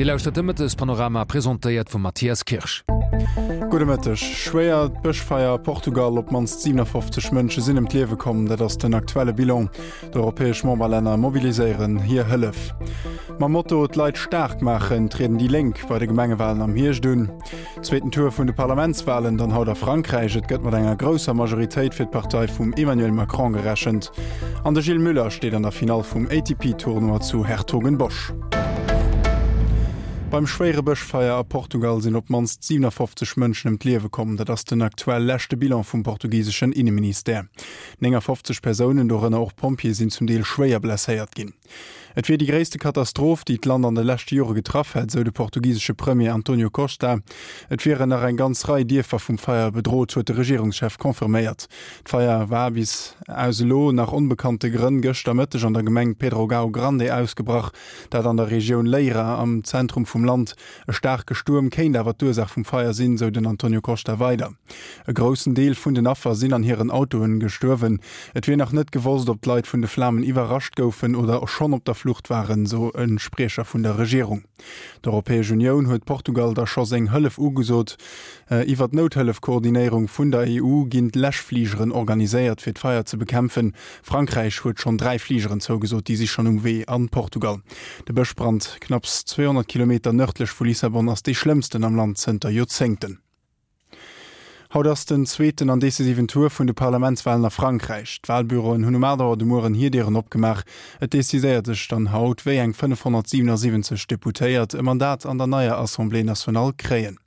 Dir lauschtert de Mëttespanorama, presentéiert vum Mathias Kirsch. Gudde Mëtteg. Schwéiert Bëschfeier a Portugal, Op d'mannst 57 Mënsche sinn ëm d'Liewe komm, dat ass den aktuelle Bilan. D'europäesch Memberlänner mobiliséieren hir Hëllef. Mam Motto D'Leit staark maachen trieden déi Lénk bei de Gemengewalen am Hierscht un. Zweeten Tour vun de Parlamentswalen dann haut a Frankräich. Et gëtt mat enger grousser Majoritéit fir d'Partei vum Emmanuel Macron gerechent. An de Gilles Muller steet an der Finall vum ATP-Tournoi zu Hertogenbosch. Beim schwéiere Bëschfeier a Portugal sinn op d'mannst 57 Mënschen ëm d'Liewe komm. Dat ass den aktuell leschte Bilan vum portugiseschen Inneministère. 59 Persounen, dorënner och Pompjeeë, sinn zum Deel schwéier blesséiert ginn. Et wier déi gréisste Katastroph, déi d'Land an de leschte Jore getraff hätt, esou de portugisesche Premier Antonio Costa. Et wieren nach eng ganz Rei Dierfer vum Feier bedrot, huet de Regierungschef confirméiert. D'Feier war bis aus elo nach onbekannte Grënn gëschter Mëtteg an der Gemeng Pedrógão Grande ausgebrach, dat an der Regioun Leira am Zentrum vum Land. E staarke Stuerm kéint awer d'Ursaach vum Feier sinn, sou den Antonio Costa weider. E groussen Deel vun den Affer sinn an hiren Autoen gestuerwen. Et wier nach net gewosst, ob d'Leit vun de Flamen iwwerrascht goufen oder schonn op der Flucht waren, sou e Spriecher vun der Regierung. D'Europäesch Unioun huet Portugal da scho seng Hëllef ugesot. Iwwer d'Nouthëllef-Koordinéierung vun der EU ginn d'Läschfligeren organiséiert, fir d'Feier ze bekämpfen. Frankräich huet schonn 3 Fligeren zougesot, déi si schonn um Wee an Portugal. De Bëschbrand knapps 200 Kilometer nërdlech vu Lissabon ass dee schlëmmsten am Land zënter Joerzéngten. Haut ass den zweeten an decisiven Tour vun de Parlamentswalen a Frankräich. D'Walbüroen hunn um 8 Auer de Mueren hir Dieren opgemaach. Et decidéiert sech dann haut, wéi eng 577 Deputéiert e Mandat an der neier Assemblée nationale kréien.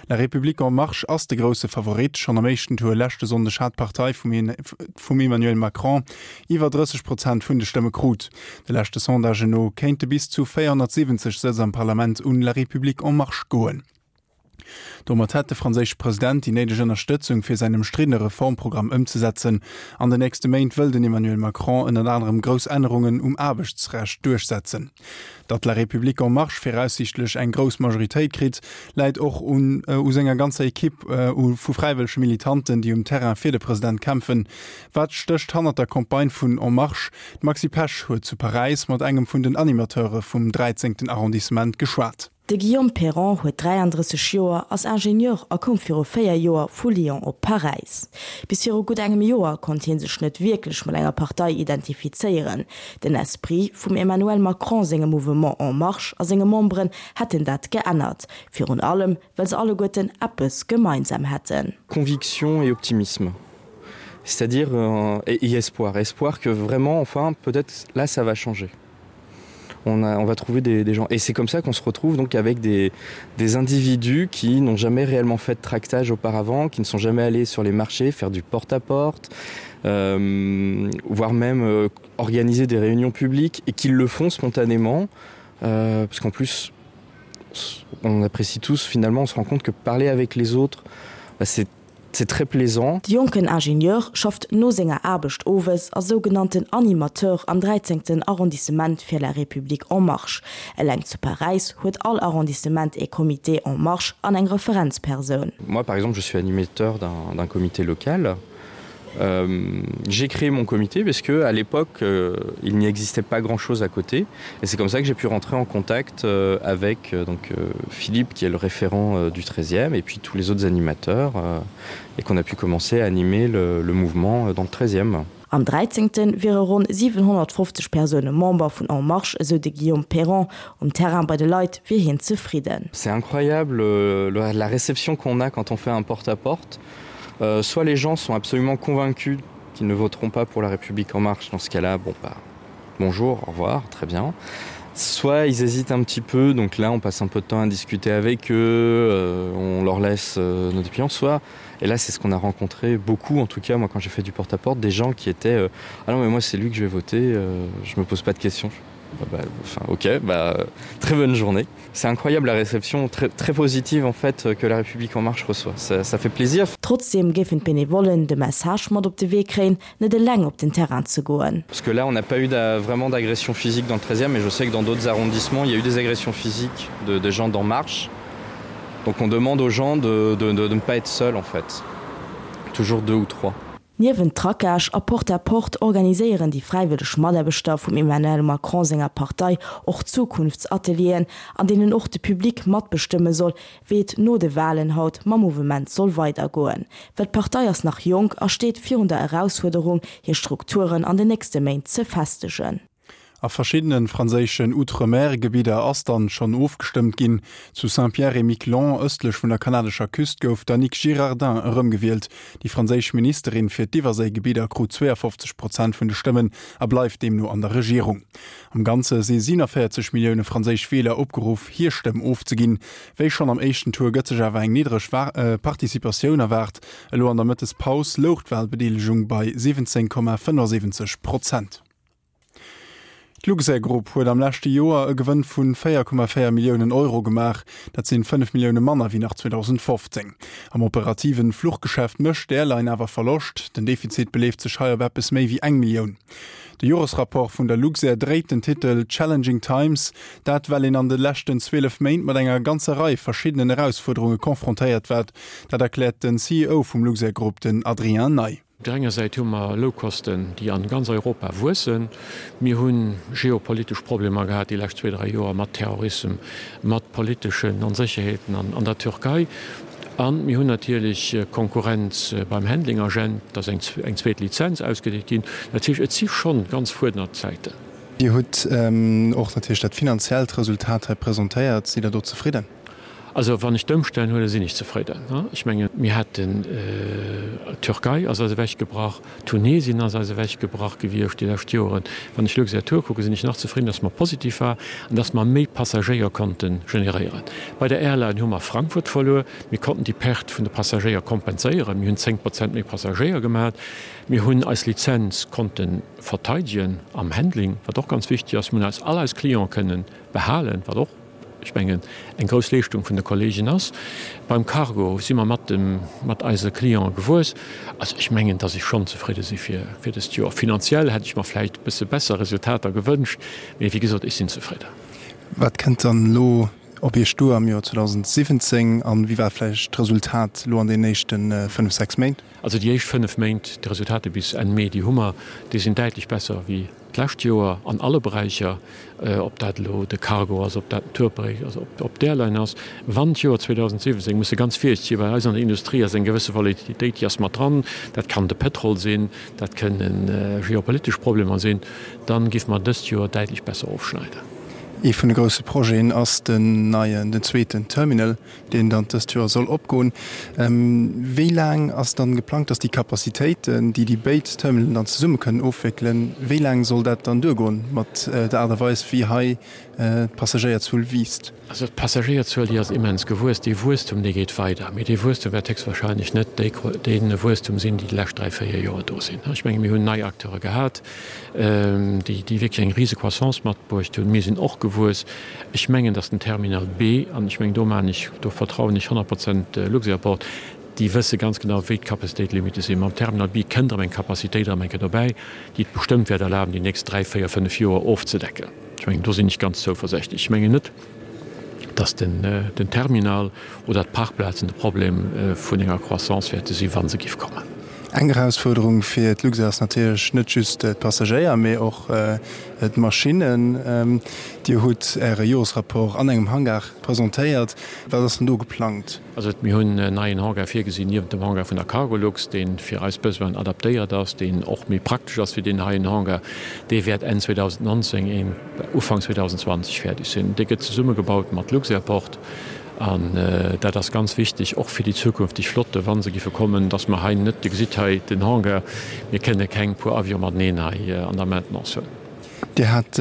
La République en Marche ass de grousse Favorit. Schonn am éischten Tour leschte Sonndeg hat d'Partei vum Emmanuel Macron iwwer 30 Prozent vun de Stëmme krut. De leschte Sondagen no kéinte bis zu 470 Sëtz am Parlament un La République en Marche goen. Domat hätt de franséische President déi néideg Ënnerstëtzung fir säin ëmstriddene Reformprogramm ëmzesetzen. An den nächste Méint wëll den Emmanuel Macron ënnert anerem grouss Ännerungen um Aarbechtsrecht duerchsetzen. Datt La République en Marche viraussiichtlech eng grouss Majoritéit kritt, läit och un u senger ganzer Ekipp u vu fräiwëllege Militanten, déi um Terrain fir de President kämpfen. Wat stécht hannert der Campagne vun En Marche? D'Maxi Pesch huet zu Paräis mat engem vun den Animateure vum dräizéngten Arrondissement geschwat. De Guillaume Perron huet 33 Joer, ass Ingenieur a koum viru 4 Joer vu Lyon op Paräis. Bis viru gutt engem Joer konnt hie sech net wierklech mat enger Partei identifizéieren. Den Esprit vum Emmanuel Macron sengem Mouvement En Marche a senge Memberen hätten dat geännert, virun allem well se alleguerten eppes gemeinsam hätten. Conviction et optimisme, c'est-à-dire et espoir, espoir que vraiment enfin peut-être là ça va changer. On, a, on va trouver des, des gens et c'est comme ça qu'on se retrouve donc avec des, des individus qui n'ont jamais réellement fait de tractage auparavant, qui ne sont jamais allés sur les marchés faire du porte à porte, euh, voire même euh, organiser des réunions publiques et qui le font spontanément euh, parce qu'en plus on apprécie tous finalement on se rend compte que parler avec les autres c'est c'est très plaisant. De jonken Ingenieur schafft no senger Aarbecht owes als sougenannten Animateur am dräizéngten Arrondissement fir La République En Marche. Eleng zu Paräis huet all Arrondissement ee Comité En Marche an eng Referenzpersoun. Moi par exemple je suis animateur d'un comité local. Euh, j'ai créé mon comité parce que à l'époque euh, il n'y existait pas grand chose à côté et c'est comme ça que j'ai pu rentrer en contact euh, avec euh, donc euh, Philippe qui est le référent euh, du 13e et puis tous les autres animateurs euh, et qu'on a pu commencer à animer le, le mouvement euh, dans le 13e. Am 13. wiere ronn 750 Persoune Member vun En Marche, esou de Guillaume Perron. Um Terrain bei de Leit wier hien zefridden. C'est incroyable euh, la réception qu'on a quand on fait un porte à porte. Euh, soit les gens sont absolument convaincus qu'ils ne voteront pas pour la République en marche dans ce cas-là bon bah, bonjour, au revoir, très bien. Soit ils hésitent un petit peu, donc là on passe un peu de temps à discuter avec eux, euh, on leur laisse euh, nos opinions, soit et là c'est ce qu'on a rencontré beaucoup en tout cas moi quand j'ai fait du porte à porte des gens qui étaient euh, ah non mais moi c'est lui que je vais voter, euh, je me pose pas de questions. Bah, bah, enfin ok bah, très bonne journée. C'est incroyable la réception très, très positive en fait que la République en marche reçoit. Ça, ça fait plaisir. Trotzdeem géifen d'Benevollen de Message mat op de Wee kréien, net eleng op den Terrain ze goen. Parce que là on n'a pas eu vraiment d'agression physique dans le 13e mais je sais que dans d'autres arrondissements il y a eu des agressions physiques de, de gens d'en marche. Donc on demande aux gens de, de, de, de ne pas être seul en fait. Toujours deux ou trois. Niewent Tracage a Porte-à-porte organiséieren déi fräiwëlleg Mataarbechter vum Emmanuel Macron senger Partei och Zukunftsatelieren, an deenen och de Public matbestëmme soll, wéi et no de Walen haut mam Mouvement soll weidergoen. Well d'Partei ass nach jonk a steet virun der Erausfuerderung, hir Strukturen an den nächste Méint ze festegen. A verschiddene franséischen Outre-mer-Gebidder ass dann schonn ofgestëmmt ginn. Zu Saint-Pierre-et-Miquelon, ëstlech vun der kanadescher Küst, gouf d'Annick Girardin erëmgewielt. Déi franséisch Ministerin fir d'Iwwerséigebidder krut 52 Prozent vun de Stëmmen a bleift deemno an der Regierung. Am Ganze si 47 Millioune franséisch Wieler opgeruff, hir Stëmm ofzeginn. Wéi schonn am éischten Tour gëtt sech awer eng niddreg Participatioun erwaart. Elo an der Mëttespaus louch d'Walbedeelegung bei 17,75 Prozent. D'Luxair Group huet am leschte Joer e Gewënn vu 4,4 Milliounen Euro gemaach. Dat sinn 5 Millioune manner wéi nach 2015. Am operativen Fluchgeschäft mécht d'Airline awer Verloscht. Den Defizit beleeft sech hei op eppes méi wéi eng Millioun. De Joresrapport vun der Luxair dréit den Titel Challenging Times. Dat well een an de leschten 12 Méint mat enger ganzer Rei verschiddenen Erausfuerderunge confrontéiert war. Dat erkläert den CEO vum Luxair Group, den Adrien Ney. Op der enger Säit hu mer Loukosten, déi an ganz Europa wuessen. Mir hu geopolitesch Problemer gehat déi lescht zwee, dräi Joer mat Terrorissem, mat politeschen Onsécherheeten an der Türkei. A mir hunn natierlech Konkurrenz beim Handling Agent, et ass eng zweet Lizenz ausgedeelt ginn. Dat heescht, et si schonn ganz fuerdernd Zäiten. Dir hutt och natierlech dat finanziellt Resultat hei presentéiert. Sidd Der do zefridden? Also wann ech d'Ëmstänn huelen, sinn ech zefridden. Ech mengen, mir haten, d'Türkei ass eis ewechgebrach, Tunesien ass eis ewechgebrach gewiescht déi lescht Joren. Wann ech Luxair Tour kucken, sinn ech nach zefridden, datt mer positiv war an datt mer méi Passagéier konnte generéieren. Bei der Airline hu mer Frankfurt verluer. Mir konnten déi Perte vun de Passagéier kompenséieren. Mir hunn 10 Prozent méi Passagéier gemat. Mir hunn eis Lizenz konnte verteidegen am Handling, wat och ganz wichteg ass. Mir hunn eis all eis Cliente kënnen behalen, wat och, ech mengen, eng grouss Leeschtung vun de Kollegen ass. Beim Cargo si mer mat dem, mat eise Cliente gewuess. Also ech mengen, dass ech schonn zefridde si fir, fir dëst Joer. Finanziell hätt ech mer vläicht e bësse besser Resultater gewënscht, mee wéi gesot, ech sinn zefridden. Wat kënnt dann elo op Iech duer am Joer 2017 an wéi war vläicht d'Resultat elo an deenen éischte fënnef, sechs Méint? Also déi éischt fënnef Méint, d'Resultater bis Enn Mee, déi hu mer, déi sinn däitlech besser wéi d'lescht Joer an alle Beräicher, ob dat elo de Cargo ass, ob dat den Tourberäich ass, ob d'Airline ass. Wann d'Joer 2017, muss e ganz virsiichteg sinn, well eis an der Industrie ass eng gewësse Volatilitéit, déi ass mat dran, dat kann de Pétrol sinn, dat kënne geopolitesch Problemer sinn, da géife mer dëst Joer däitlech besser ofschneiden. Ee vun de grousse Projeten ass den neien, den zweeten Terminal. deen dann dëst Joer soll opgoen. Wéi laang ass dann geplangt, dass déi Capacitéiten, déi déi béid Terminalen dann zesumme kënnen ofwéckelen, wéi laang soll dat dann duergoen mat der Aart a Weis, wéi hei d'Passagéierzuel wiisst? Also d'Passagéierzuel, déi ass immens gewuess. Dee Wuesstum, dee geet weider. Mee dee Wuesstum wäert héchstwahrscheinlech net dee Wuesstum sinn, déi déi lescht dräi, véier Joer do sinn. Ech menge mir hunn nei Acteure gehat, déi wierklech eng rise Croissance matbruecht hunn. Mir sinn och gewuess. Ech mengen, datt den Terminal B, an ech mengen, do maachen ech, do vertrauen ech 100 Prozent Luxairport, déi wësse ganz genau, wéi d'Capacitéit-Limitte sinn. Mam Terminal B kënnt erëm eng Capacitéit erëm eng Kéier dobäi, déi et bestëmmt wäert erlaben, déi nächst dräi, véier, fënnef Joer ofzedecken. Ech mengen, do sinn ech ganz zouversächtlech. Ech mengen net, datt den Terminal oder d'Parkplazen de Problem vun enger Croissance wäerte sinn, wa se giff kommen. Eng Erausfuerderung fir d'Luxair ass natierlech net just d'Passagéier, mee och d'Maschinnen. Dir hutt Äre Joresrapport an engem Hangar presentéiert. Wat ass denn do geplangt? Also mir hunn en neien Hangar virgesinn, niewent dem Hangar vun der Cargolux, dee fir eis Besoinen adaptéiert ass, deen och méi praktesch ass wéi deen heien Hangar. Dee wäert Enn 2019, Ufank 2020 fäerdeg sinn. Dee gëtt zesummegebaut mat Luxairport. An dat ass ganz wichteg, och fir déi zukünfteg Flotte, wa se giffe kommen, dass mer hei net, Dir gesitt hei den Hangar, mir kënne keng puer Avione mateneen hei an der Maintenance hunn. Dir hat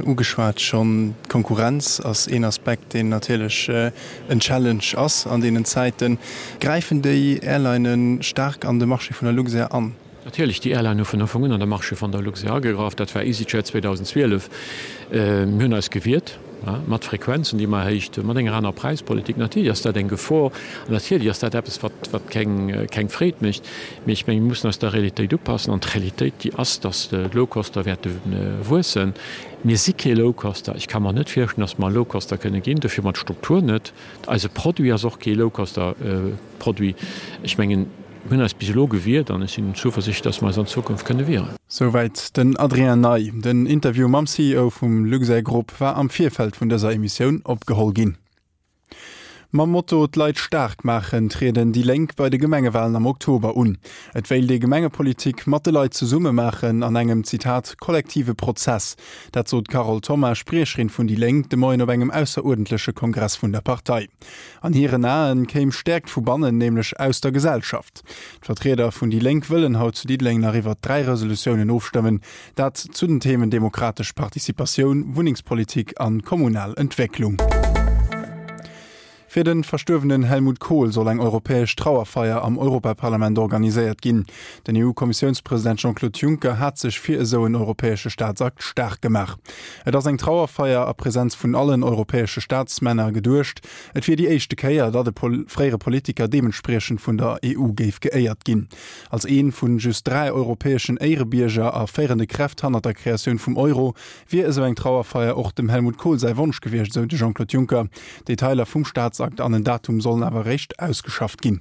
ugeschwat schonn, d'Konkurrenz ass een Aspekt, deen natierlech en Challenge ass an deenen Zäiten. Gräifen déi Airlinë staark an de Marché vun der Luxair an? Natierlech, déi Airline hu vun Ufank un an de Marché vun der Luxair agegraff. Dat war EasyJet 2012. Mir hunn eis gewiert mat Frequenzen, déi mer erhéicht hunn, mat enger anerer Präispolitik. Natierlech ass dat eng Gefor an natierlech ass dat eppes, wat, wat keng, keng Freed mécht. Mee ech mengen, mir mussen eis der Realitéit upassen. An d'Realitéit, déi ass, dass d'Low-Coster wäerte wuessen. Mir si kee Low-Coster. Ech ka mer net virstellen, dass mer e Low-Coster kënne ginn. Dofir hu mer d'Struktur net. Eise Produit ass och kee Low-Coster-Produit. Ech mengen. Mir hunn eis bis elo gewiert an ech sinn zuversichtlech, dass mer eis an Zukunft kënne wieren. Souwäit den Adrien Ney. Den Interview mam CEO vum Luxair Group war am Virfeld vun dëser Emissioun opgeholl ginn. Mam Motto D'Leit staark maachen trieden déi Lénk bei de Gemengewalen am Oktober un. Et wéilt ee Gemengepolitik mat de Leit zesumme maachen an engem, Zitat, kollektive Prozess. Dat sot d'Carole Thoma, Spriecherin vun déi Lénk, de Moien op engem ausseruerdentleche Kongress vun der Partei. An hiren Aen kéim Stäerkt vu bannen, nämlech aus der Gesellschaft. D'Vertrieder vun déi Lénk wëllen haut zu Diddeleng nach iwwert 3 Resolutiounen ofstëmmen, dat zu den Themen demokratesch Participatioun, Wunnengspolitik an kommunal Entwécklung. Fir de verstuerwenen Helmut Kohl soll eng europäesch Trauerfeier am Europaparlament organiséiert ginn. Den EU-Kommissiounspresident Jean-Claude Juncker hat sech fir esou en europäesche Staatsakt staark gemaach. Et ass eng Trauerfeier a Presenz vun allen europäesche Staatsmänner geduecht. Et wier déi éischte Kéier, datt e fréiere Politiker deementspriechend vun der EU géif geéiert ginn. Als ee vun just 3 europäeschen Éierebierger a féierende Kräft hannert der Kreatioun vum Euro wier esou eng Trauerfeier och dem Helmut Kohl säi Wonsch gewiescht, esou de Jean-Claude Juncker. Detailer vum Staatsakt an en Datum sollen awer eréischt ausgeschafft ginn.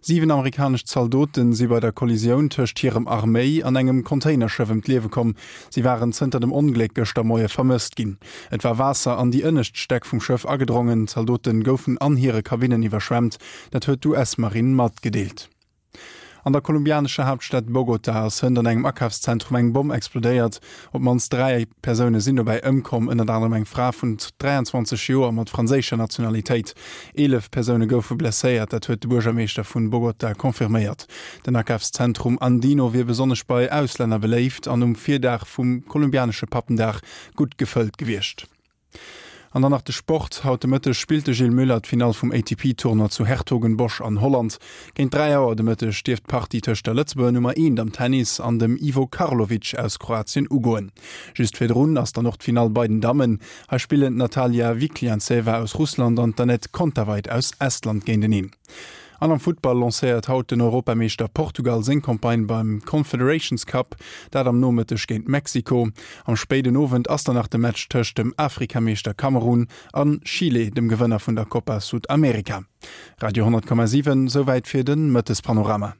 7 amerikanesch Zaldote si bei der Kollisioun tëscht hirem Arméi an engem Containerschëff ëm d'Liewe komm. Si waren zënter dem Ongléck gëschter Moie vermësst ginn. Et war Waasser an déi ënnescht Stäck vum Schëff agedrongen. D'Zaldote goufen an hire Kabinnen iwwerschwemmt. Dat huet d'US-Marinn matgedeelt. An der kolumbianescher Haaptstad Bogota ass hënt an engem Akafszentrum eng Bomm explodéiert. Op d'mannst 3 Persoune sinn dobäi ëmkomm, ënnert anerem eng Fra vun 23 Joer mat franséischer Nationalitéit. 11 Persoune goufe blesséiert, dat huet de Buergermeeschter vun Bogota confirméiert. Den Akafszentrum Andino wier besonnesch bei Auslänner beléift an um Virdag vum kolumbianesche Pappendag gutt gefëllt gewiescht. An dann nach de Sport, Haut de Mëtteg spillt de Gilles Muller d'Finall vum ATP-Tournoi zu Hertogenbosch an Holland. Géint 3 Auer de Mëtteg dierft d'Partie tëscht der Lëtzebuerger Nummer Eent am Tennis an dem Ivo Karlovic aus Kroatien ugoen. Just virdrun ass dann och d'Finall bei den Dammen. Hei spillen d'Natalia Vikhlyantseva aus Russland an d'Anett Kontaveit aus Estland géinteneen. An am Futtball lancéiert haut den Europameeschter Portugal seng Campagne beim Confederations Cup, dat am Nomëtteg géint Mexiko. Am spéiden Owend ass dann nach de Match tëscht dem Afrikameeschter Kamerun a Chile, dem Gewënner vun der Copa Sud-America. Radio 10,7, souwäit fir de Mëttespanorama.